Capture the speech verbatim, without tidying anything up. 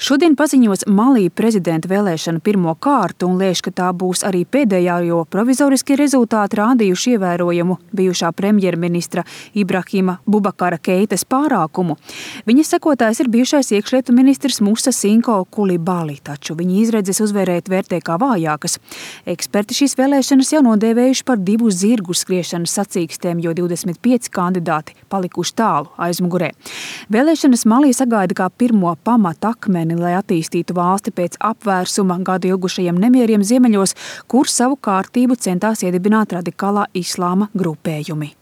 Šodien paziņos Malī prezidenta vēlēšanu pirmo kārtu un lēš, ka tā būs arī pēdējā, jo provizoriskie rezultāti rādījuši ievērojamu bijušā premjerministra Ibrahima Bubakara Keitas pārākumu. Viņa sekotājs ir bijušais iekšlietu ministrs Musa Sinko Kulibali, taču viņa izredzes uzvērēt vērtē kā vājākas. Eksperti šīs vēlēšanas jau nodēvējuši par divu zirgu skriešanas sacīkstēm, jo divdesmit pieci kandidāti palikuši tālu aizmugurē. Vēlēšanas Malī sagaida kā pirmo pamata akmeni, lai attīstītu valsti pēc apvērsuma gadu ilgušajiem nemieriem ziemeļos, kur savu kārtību centās iedibināt radikālā islāma grupējumi.